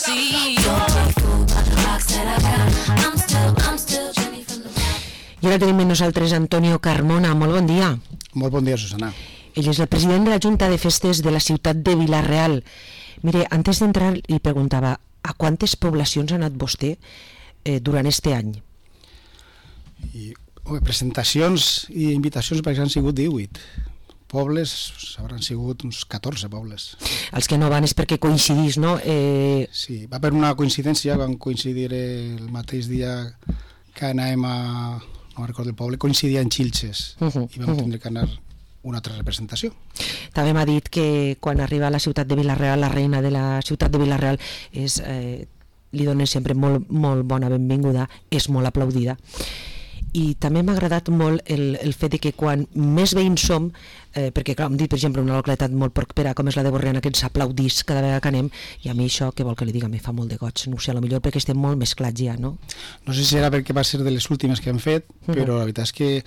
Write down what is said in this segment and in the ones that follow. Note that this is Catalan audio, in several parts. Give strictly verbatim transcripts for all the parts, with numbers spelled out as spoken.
see. Don't be fooled by the rocks that I got. I'm still, I'm still Jenny from the block. I ara tenim amb nosaltres Antonio Carmona. Molt bon dia. Molt bon dia, Susana. Ell és el president de la Junta de Festes de la ciutat de Vila-real. Mire, antes d'entrar li preguntava a quantes poblacions ha anat vostè eh, durant este any? I, oh, presentacions i invitacions perquè han sigut divuit. Pobles hauran sigut uns catorze pobles. Els que no van és perquè coincidís, no? Eh... Sí, va per una coincidència, van coincidir el mateix dia que anàvem a... no recordo el poble, coincidia en Xilxes, uh -huh, i vam uh -huh. tindre que anar una altra representació. També m'ha dit que quan arriba a la ciutat de Vila-real, la reina de la ciutat de Vila-real és, eh, li donen sempre molt, molt bona benvinguda, és molt aplaudida. I també m'ha agradat molt el, el fet de que quan més veïns som, eh, perquè clar, hem dit per exemple una localitat molt propera com és la de Borriana, que ens aplaudís cada vegada que anem, i a mi això, què vol que li diga, me fa molt de goig, no ho sé, potser perquè estem molt mesclats ja, no? No sé si era perquè va ser de les últimes que hem fet, uh -huh. però la veritat és que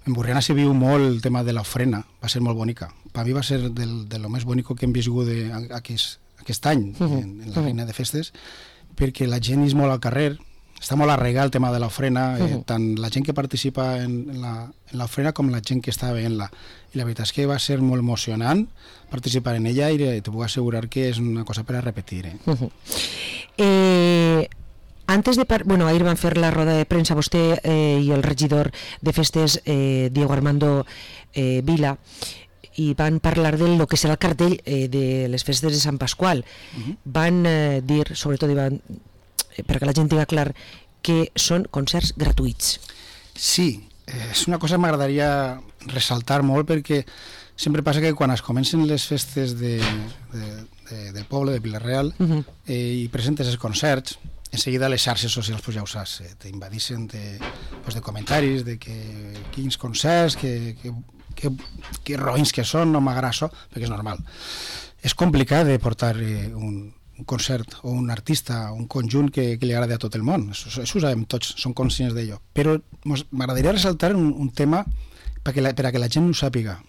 en Borriana se viu molt el tema de l'ofrena, va ser molt bonica. Per mi va ser del, de lo més bonico que hem viscut de, aquest, aquest any uh -huh. en, en la reina de festes, perquè la gent és molt al carrer, està molt arraigat el tema de l'ofrena, eh, uh -huh. tant la gent que participa en, en l'ofrena com la gent que està veient-la. I la veritat és que va ser molt emocionant participar en ella i te puc assegurar que és una cosa per a repetir. Eh? Uh -huh. eh, antes de... Par bueno, ahir van fer la roda de premsa vostè eh, i el regidor de festes, eh, Diego Armando eh, Vila, i van parlar del que serà el cartell eh, de les festes de Sant Pasqual. Uh -huh. Van eh, dir, sobretot, van... perquè la gent tinga clar que són concerts gratuïts. Sí, és una cosa que m'agradaria ressaltar molt, perquè sempre passa que quan es comencen les festes de, de, de, del poble de Vila-real uh-huh. eh, i presentes els concerts, en seguida les xarxes socials, pues ja ho saps, eh, t'invadixen de, pues de comentaris de que quins concerts, que, que, que, que roïns que són, no m'agrada això, perquè és normal. És complicat de portar eh, un un concert o un artista, un conjunt que, que li agradi a tot el món, això, això ho sabem tots, som conscients d'allò, però m'agradaria ressaltar un, un tema perquè la, per a que la gent ho sàpiga.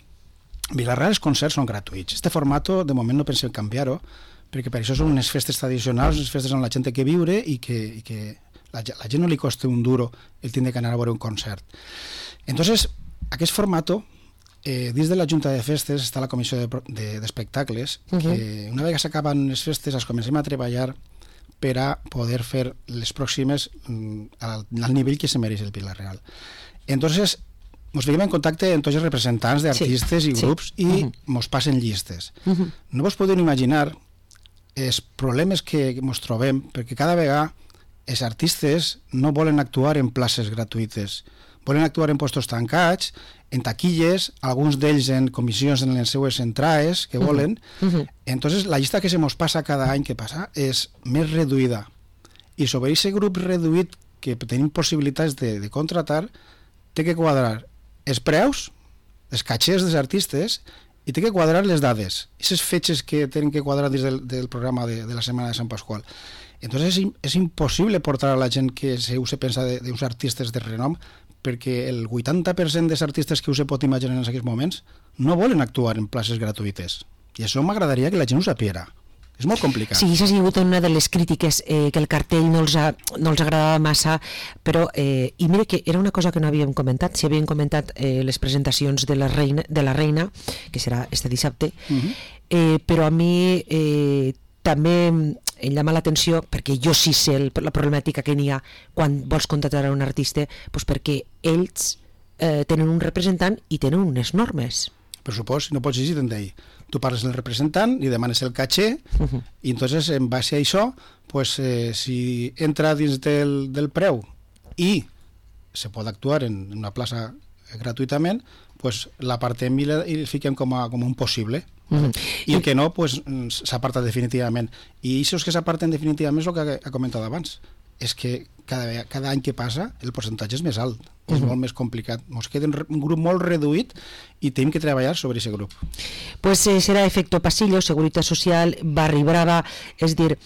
Vila-real els concerts són gratuïts, este format de moment no pensem canviar-ho, perquè per això són unes festes tradicionals, unes festes on la gent té que viure i que, i que la, la gent no li costa un duro el tindre que anar a veure un concert. Entonces, aquest format, Eh, dins de la Junta de Festes està la Comissió d'Espectacles, de, de, uh-huh. que una vegada s'acaben les festes es comencem a treballar per a poder fer les pròximes mm, al, al nivell que se mereix el Vila-real. Entonces, ens veiem en contacte amb tots els representants d'artistes sí, i grups sí. i uh-huh. mos passen llistes. Uh-huh. No vos podeu imaginar els problemes que ens trobem, perquè cada vegada els artistes no volen actuar en places gratuïtes, volen actuar en postos tancats, en taquilles, alguns d'ells en comissions en les seues entrades que volen. Uh -huh. Entonces la llista que se mos passa cada any que passa és més reduïda, i sobre aquest grup reduït que tenim possibilitats de, de contratar té que quadrar els preus, els catxers dels artistes, i té que quadrar les dades, aquestes fetges que tenen que quadrar dins del, del programa de, de la Setmana de Sant Pasqual. Entonces és, és impossible portar a la gent que se, se pensa d'uns artistes de renom, perquè el vuitanta per cent dels artistes que us pot imaginar en aquests moments no volen actuar en places gratuïtes. I això m'agradaria que la gent ho sapiera. És molt complicat. Sí, això ha sigut una de les crítiques, eh, que el cartell no els, ha, no els agradava massa, però, eh, i mira que era una cosa que no havíem comentat, si havíem comentat eh, les presentacions de la reina, de la reina, que serà este dissabte, uh-huh. eh, però a mi eh, també em llama l'atenció, perquè jo sí sé el, la problemàtica que n'hi ha quan vols contractar a un artista, doncs perquè ells eh, tenen un representant i tenen unes normes. Per supost, no pots llegir d'ell. Tu parles del representant, li demanes el caché, uh-huh. i entonces en base a això, pues, eh, si entra dins del, del preu i se pot actuar en una plaça gratuïtament, pues l'apartem i el fiquem com a, com un possible. Uh-huh. I el que no, pues, s'aparta definitivament. I això que s'aparten definitivament és el que ha comentat abans. És que cada, cada any que passa el percentatge és més alt, és uh-huh. molt més complicat. Ens queda un grup molt reduït i tenim que treballar sobre aquest grup. Pues eh, serà efecto pasillo, Seguretat Social, Barri Brava, és dir,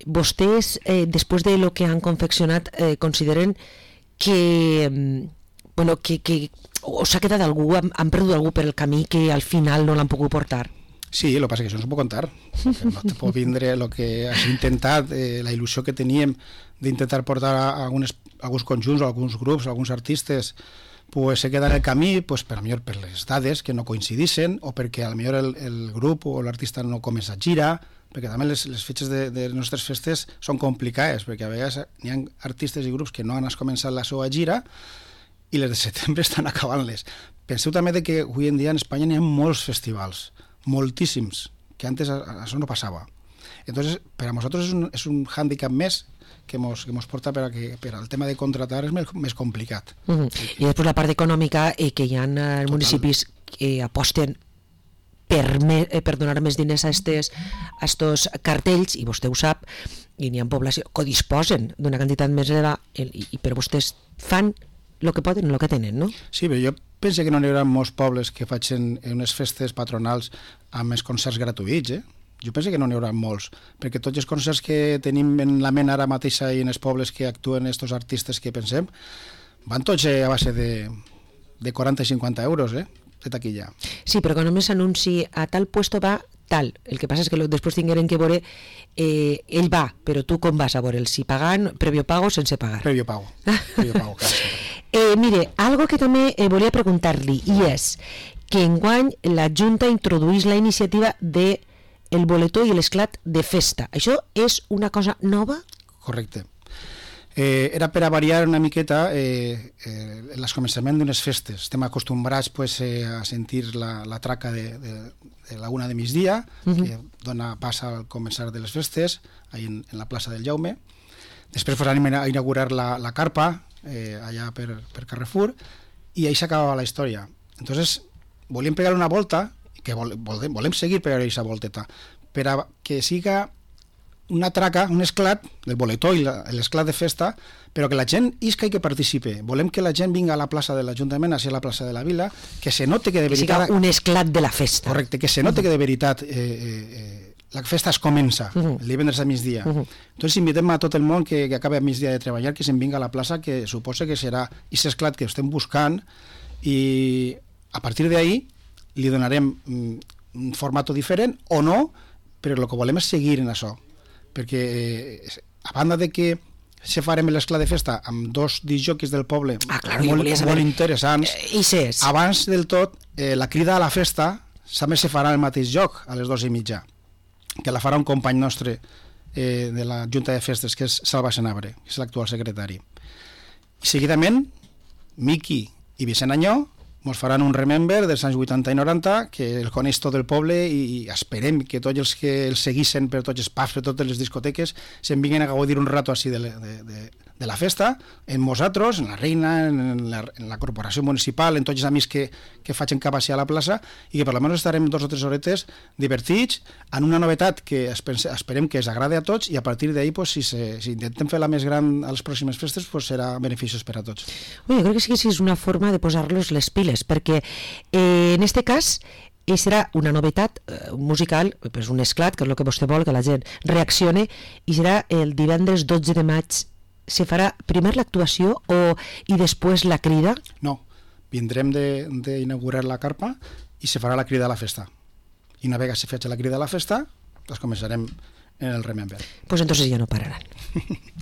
vostès, eh, després de lo que han confeccionat, eh, consideren que, bueno, que, que o s'ha quedat algú, han, han perdut algú per el camí que al final no l'han pogut portar? Sí, el que passa que això no s'ho puc contar. No te pot vindre el que has intentat, eh, la il·lusió que teníem d'intentar portar a algunes, alguns conjunts o alguns grups, alguns artistes, pues se queda en el camí, pues per a millor per les dades que no coincidissin, o perquè a millor el, el grup o l'artista no comença a girar, perquè també les, les fetges de, de les nostres festes són complicades, perquè a vegades n'hi ha artistes i grups que no han començat la seva gira i les de setembre estan acabant-les. Penseu també de que avui en dia en Espanya n'hi ha molts festivals, moltíssims, que antes això no passava. Entonces, per a nosaltres és un, és un hàndicap més que mos, que mos porta per, a que, per al tema de contratar és més, més complicat. Uh -huh. I després la part econòmica, eh, que hi ha eh, municipis que aposten per, me, eh, per donar més diners a estes, a estos cartells, i vostè ho sap, i n'hi ha població que disposen d'una quantitat més elevada, i, i però vostès fan el que poden, el que tenen, no? Sí, però jo penso que no n'hi haurà molts pobles que facin unes festes patronals amb els concerts gratuïts, eh? Jo penso que no n'hi haurà molts, perquè tots els concerts que tenim en la ment ara mateixa i en els pobles que actuen estos artistes que pensem, van tots a base de, de quaranta i cinquanta euros, eh? De taquilla. Sí, però que només s'anunci a tal puesto va tal. El que passa és que després tingueren que veure, eh, ell va, però tu com vas a veure'l? Si pagant, previo pago o sense pagar? Previo pago. Previo pago, clar. Eh, mire, algo que també eh, volia preguntar-li, i és que enguany la Junta introduís la iniciativa de el boletó i l'esclat de festa. Això és una cosa nova? Correcte. Eh, era per a variar una miqueta eh, eh, el començament d'unes festes. Estem acostumbrats pues, eh, a sentir la, la traca de, de, de la una de migdia, uh -huh. que dona pas al començar de les festes, ahí en, en la plaça del Jaume. Després pues, anem a inaugurar la, la carpa, eh, allà per, per Carrefour, i ahí s'acabava la història. Entonces, volíem pegar una volta, que vol, volem, volem seguir per aquesta volteta, per a que siga una traca, un esclat del boletó i l'esclat de festa, però que la gent isca i que participe. Volem que la gent vinga a la plaça de l'Ajuntament, a ser la plaça de la Vila, que se note que de que veritat... siga un esclat de la festa. Correcte, que se note uh -huh. que de veritat eh, eh, la festa es comença, uh -huh. el divendres a migdia. Uh -huh. Entonces invitem a tot el món que, que acabi a migdia de treballar, que se'n vinga a la plaça, que suposa que serà aquest esclat que estem buscant, i a partir d'ahí li donarem un format diferent o no, però el que volem és seguir en això, perquè a banda de que se farem l'esclat de festa amb dos disjòquis del poble ah, claro, molt, saber... molt interessants, eh, i abans del tot eh, la crida a la festa també se farà al mateix lloc a les dues i mitja, que la farà un company nostre eh, de la Junta de Festes, que és Salva Senabre, que és l'actual secretari. I seguidament Miqui i Vicent Anyó ens faran un remember dels anys vuitanta i noranta, que el coneix tot el poble, i esperem que tots els que el seguissin per tots els pubs, per totes les discoteques, se'n vinguin a gaudir un rato així de, de, de, de la festa, en nosaltres, en la Reina, en la, en la corporació municipal, en tots els amics que, que facin cap a la plaça, i que per almenys estarem dos o tres horetes divertits, en una novetat que esperem que es agrade a tots, i a partir d'ahí, pues, si, se, si intentem fer la més gran a les pròximes festes, pues, serà beneficiós per a tots. Ui, jo crec que sí que és una forma de posar-los les piles, perquè eh, en este cas eh, serà una novetat eh, musical, pues un esclat, que és el que vostè vol, que la gent reaccione, i serà el divendres dotze de maig. Se farà primer l'actuació o, i després la crida? No, vindrem d'inaugurar la carpa i se farà la crida a la festa. I una vegada se faci la crida a la festa, doncs començarem en el Remember. Pues entonces ya no pararán.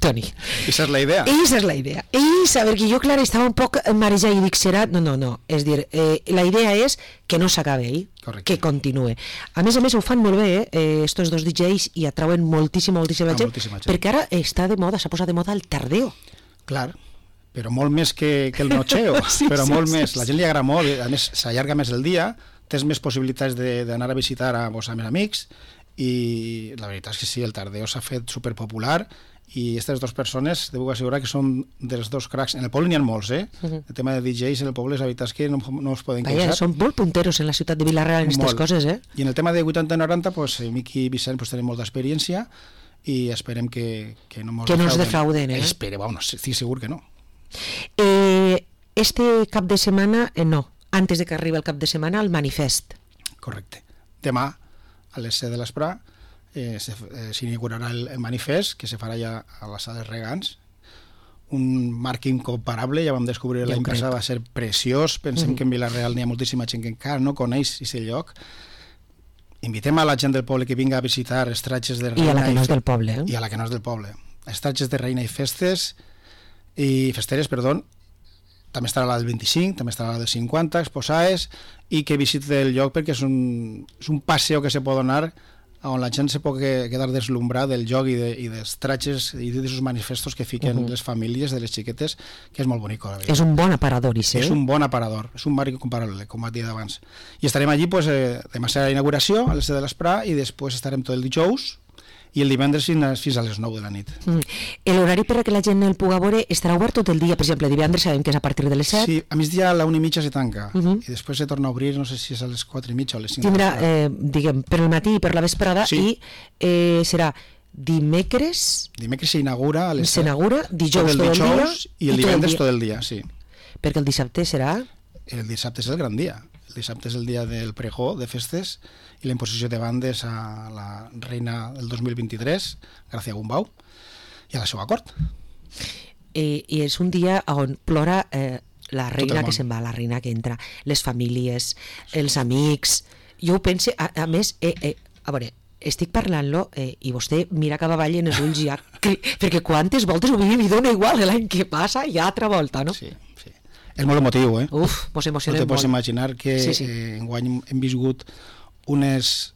Toni. Esa és la idea. Esa és la idea. Esa, perquè jo, clar, estava un poc marejada i dic, serà... No, no, no. És dir, eh, la idea és que no s'acabe ahí, correcte, que continue. A més a més, ho fan molt bé, eh, estos dos D Js, i atrauen moltíssima, moltíssima, ah, gent, moltíssima gent, perquè ara està de moda, s'ha posat de moda el tardeo. Clar, però molt més que, que el nocheo, sí, però sí, molt sí, més. Sí. La gent li agrada molt, a més s'allarga més el dia, tens més possibilitats d'anar a visitar a vos amb els amics, i la veritat és que sí, el tardeo s'ha fet superpopular, i aquestes dues persones devo assegurar que són dels dos cracs. En el poble n'hi ha molts, eh? Uh -huh. El tema de D Js en el poble, la veritat és que no, no us poden queixar. Són molt punteros en la ciutat de Vila-real en aquestes coses, eh? I en el tema de vuitanta i noranta, pues, Miqui i Vicent pues, tenen molta experiència, i esperem que, que no ens que no defrauden. defrauden eh? Espero, bueno, estic segur que no. Eh, este cap de setmana, eh, no, antes de que arribi el cap de setmana, el manifest. Correcte. Demà, a les set de l'esprà, eh, s'inaugurarà el, el manifest, que se farà ja a la sala dels Regants, un marc incomparable, ja vam descobrir l'any passat, va ser preciós, pensem mm. que en Vila-real n'hi ha moltíssima gent que encara no coneix aquest lloc, invitem a la gent del poble que vinga a visitar Estratges de I Reina a la que no és fe- del poble, eh? i a la que no és del poble. Estratges de Reina i Festes i Festeres, perdó. També estarà la del vint-i-cinc, també estarà la del cinquanta, exposades, i que visiti el lloc perquè és un, és un passeo que se pot donar on la gent se pot quedar deslumbrada del joc i, de, i dels tratges i dels manifestos que fiquen uh -huh. les famílies de les xiquetes, que és molt bonic. És un bon aparador, Isse. És un bon aparador, és un barri comparable, com va dir abans. I estarem allí, pues, eh, demà serà la inauguració, a les set de l'esprà, i després estarem tot el dijous, i el divendres fins, fins a les nou de la nit. Mm. L'horari per a que la gent el pugui veure estarà obert tot el dia, per exemple, divendres sabem que és a partir de les set. Sí, a migdia a la una i mitja se tanca, uh -huh. i després se torna a obrir, no sé si és a les quatre i mitja o a les cinc. Tindrà, eh, diguem, per el matí i per la vesprada, Sí. i eh, serà dimecres, Dimecres s'inaugura a les s'inaugura, dijous tot el dijous dia, i el i tot el divendres dia. tot el dia, sí. Perquè el dissabte serà... El dissabte és el gran dia. El dissabte és el dia del pregó de festes i la imposició de bandes a la reina del dos mil vint-i-tres, Gràcia Gumbau, i a la seva cort. Eh, I és un dia on plora eh, la reina món. que se'n va, la reina que entra, les famílies, els amics... Jo ho pense, a, a més, eh, eh, a veure, estic parlant-lo eh, i vostè mira cap avall en els ulls ja, que, perquè quantes voltes ho vivim i dona igual l'any que passa i altra volta, no? Sí, sí. És molt emotiu, eh? Uf, mos No emocionem te molt. pots imaginar que Sí, sí. eh, enguany hem viscut unes,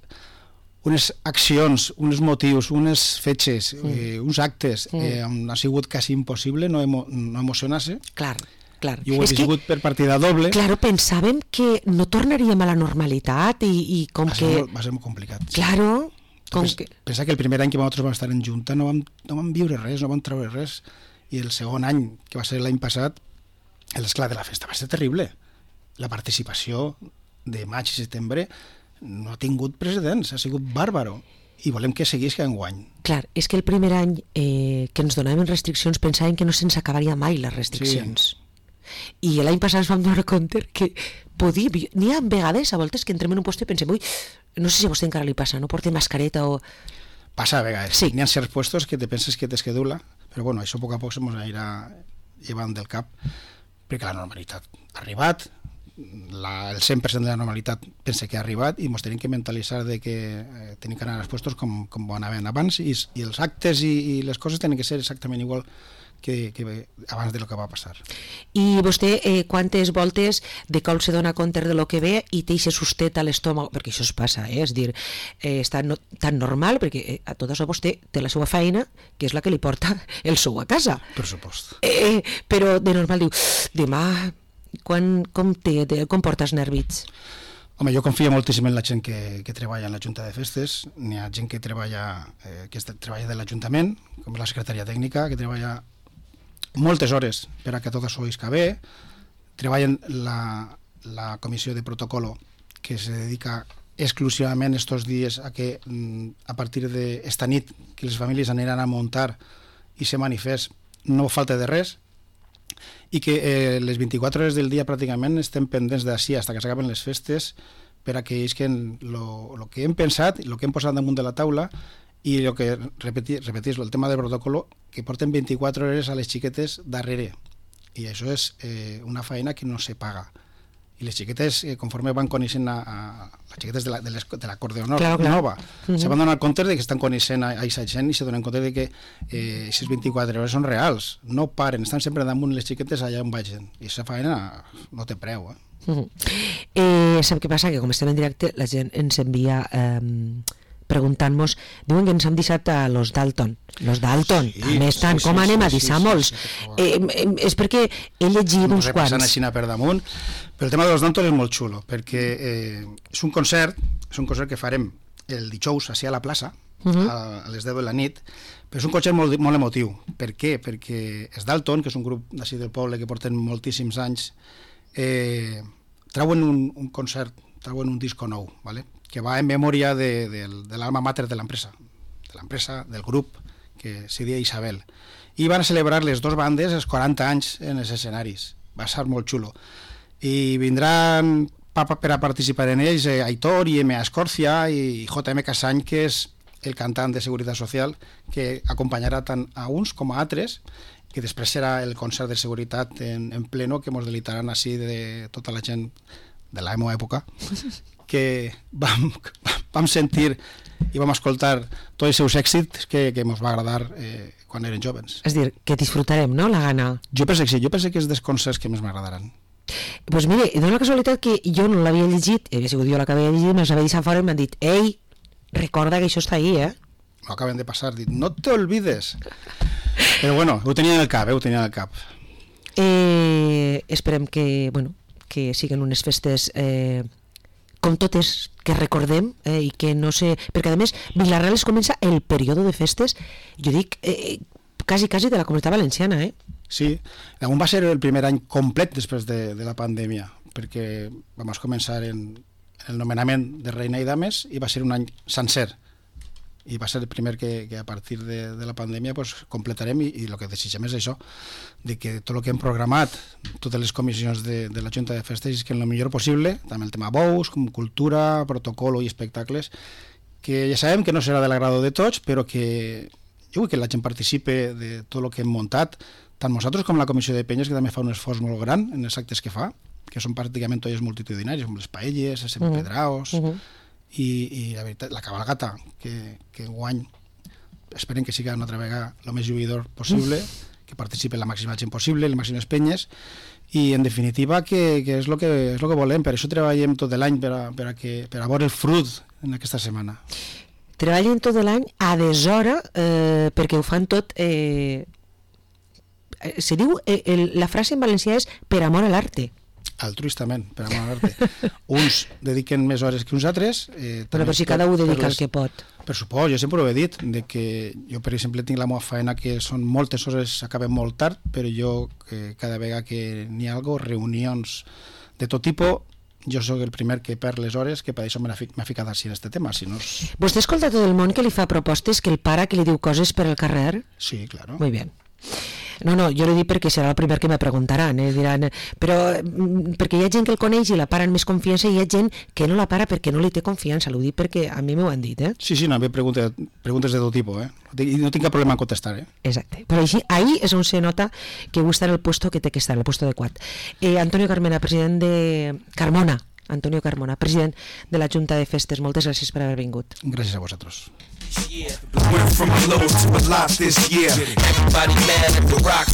unes accions, uns motius, unes fetges, Mm. eh, uns actes, eh, on ha sigut quasi impossible no, emo, no emocionar-se. Clar, clar. Jo ho he És que, viscut per partida doble. claro, pensàvem que no tornaríem a la normalitat i, i com va, ser que... molt, va ser molt complicat. Claro, com Pens, que... Pensa que el primer any que nosaltres vam estar en Junta no vam, no vam viure res, no vam treure res, i el segon any, que va ser l'any passat, l'esclat de la festa va ser terrible. La participació de maig i setembre no ha tingut precedents, ha sigut bàrbaro, i volem que seguisca enguany. Clar, és que el primer any eh, que ens donaven restriccions pensàvem que no se'ns acabaria mai les restriccions. I l'any passat ens vam donar compte que podia... N'hi ha vegades, a voltes, que entrem en un lloc i pensem, ui, no sé si a vostè encara li passa, no porta mascareta o... Passa a vegades. Sí. N'hi ha certs puestos que te penses que t'esquedula, però bueno, això a poc a poc se mos anirà llevant del cap, perquè la normalitat ha arribat, la, el cent per cent de la normalitat pense que ha arribat i ens tenim que mentalitzar de que eh, tenim que anar als puestos com, com anaven abans i, i els actes i, i les coses tenen que ser exactament igual que, que abans de lo que va passar. I vostè eh, quantes voltes de cop se dona compte de lo que ve i té aquest sustet a l'estómac, perquè això es passa, eh? És dir, eh, està no, tan normal, perquè eh, a tot això vostè té la seva feina, que és la que li porta el sou a casa. Per supost. Eh, però de normal diu, demà, quan, com, té, de, com portes nervits? Home, jo confio moltíssim en la gent que, que treballa en la Junta de Festes. N'hi ha gent que treballa, eh, que est- treballa de l'Ajuntament, com la secretaria tècnica, que treballa moltes hores per a que tot això isca bé. Treballen la, la comissió de protocolo, que se dedica exclusivament estos dies a que mm, a partir d'esta nit que les famílies aniran a muntar i se manifest no falta de res, i que eh, les vint-i-quatre hores del dia pràcticament estem pendents d'ací fins que s'acaben les festes per a que isquen lo, lo que hem pensat, lo que hem posat damunt de la taula i el que repetir, repetir el tema del protocolo, que porten vint-i-quatre hores a les xiquetes darrere, i això és eh, una feina que no se paga. I les xiquetes, eh, conforme van coneixent a, a les xiquetes de la, de les, de la Cort d'Honor Claro, claro. nova, Mhm. se van donar compte de que estan coneixent a aquesta gent i se donen compte de que eh, aquestes vint-i-quatre hores són reals, no paren, estan sempre damunt les xiquetes allà on vagin, i aquesta feina no té preu, eh? Uh -huh. eh, sap què passa? Que com estem en directe la gent ens envia eh, preguntant-nos, diuen que ens han deixat a los Dalton los Dalton, Sí, també estan, sí, com sí, anem sí, a sí, deixar sí, molts sí, per favor. eh, eh, és perquè he llegit uns Repassant quants així per damunt, però el tema de los Dantos és molt xulo, perquè eh, és un concert, és un concert que farem el dijous així a la plaça, Uh -huh. a, a les deu de la nit, però és un concert molt, molt emotiu. Per què? Perquè els Dalton, que és un grup d'ací del poble que porten moltíssims anys, eh, trauen un, un concert, trauen un disco nou, ¿vale? Que va en memòria de, de, de l'alma mater de l'empresa, de l'empresa, del grup, que se deia Isabel. I van a celebrar les dues bandes els quaranta anys en els escenaris. Va ser molt xulo. I vindran pa, pa, per a participar en ells eh, Aitor i M A Escorcia i J M Casany, que és el cantant de Seguretat Social, que acompanyarà tant a uns com a altres, que després serà el concert de seguretat en, en pleno, que ens delitaran així de tota la gent de la meva època, que vam, vam sentir i vam escoltar tots els seus èxits que, que ens va agradar eh, quan eren jovens. És dir, que disfrutarem, no?, la gana. Jo penso que sí, jo penso que és dels concerts que més m'agradaran. Doncs pues mire, dona la casualitat que jo no l'havia llegit, havia sigut jo la que havia llegit, me'ls havia deixat fora i m'han dit, ei, recorda que això està ahí, eh? M'ho acaben de passar, dit, no te olvides. Però bueno, ho tenia en el cap, eh, ho tenia en el cap. Eh, esperem que, bueno, que siguin unes festes eh, com totes que recordem eh, i que no sé... Perquè a més, Vila-real es comença el període de festes, jo dic, eh, quasi, quasi de la Comunitat Valenciana, eh? Sí, damunt va ser el primer any complet després de, de la pandèmia, perquè vam començar en, en el nomenament de reina i dames i va ser un any sencer. I va ser el primer que, que a partir de, de la pandèmia pues, completarem i, i el que desitgem és això, de que tot el que hem programat, totes les comissions de, de la Junta de Festes, és que en el millor possible, també el tema bous, com cultura, protocolo i espectacles, que ja sabem que no serà de l'agrado de tots, però que jo vull que la gent participe de tot el que hem muntat, tant nosaltres com la Comissió de Penyes, que també fa un esforç molt gran en els actes que fa, que són pràcticament totes multitudinaris, com les paelles, els empedraos, uh -huh. i, i la veritat, la cabalgata, que, que enguany esperen que siga una altra vegada el més lluïdor possible, uh -huh. que participi la màxima gent possible, les màximes penyes, i en definitiva que, que és el que, és lo que volem, per això treballem tot l'any per, a, per, a que, per a veure el fruit en aquesta setmana. Treballen tot l'any a deshora eh, perquè ho fan tot... Eh, se diu, eh, el, la frase en valencià és per amor a l'arte. Altruistament, per amor a l'arte. Uns dediquen més hores que uns altres. Eh, però, però si cada un dedica el que pot. Per supost, jo sempre ho he dit, de que jo, per exemple, tinc la meva feina que són moltes hores, acabem molt tard, però jo, eh, cada vegada que n'hi ha algo, reunions de tot tipus, jo sóc el primer que perd les hores, que per això m'ha ficat així en aquest tema. Si no és... Vostè escolta tot el món que li fa propostes, que el pare que li diu coses per al carrer? Sí, claro. Muy bien. No, no, jo l'he dit perquè serà el primer que me preguntaran, eh? Diran, però perquè hi ha gent que el coneix i la para amb més confiança i hi ha gent que no la para perquè no li té confiança, l'ho dic perquè a mi m'ho han dit, eh? Sí, sí, no, a mi preguntes, preguntes de tot tipus, eh? I no tinc cap problema en contestar, eh? Exacte, però així, ahí és on se nota que vostè està en el puesto que té que estar, en el puesto adequat. Eh, Antonio Carmona, president de... Carmona, Antonio Carmona, president de la Junta de Festes, moltes gràcies per haver vingut. Gràcies a vosaltres. Went from a low to a lot this year. Everybody mad at the rock.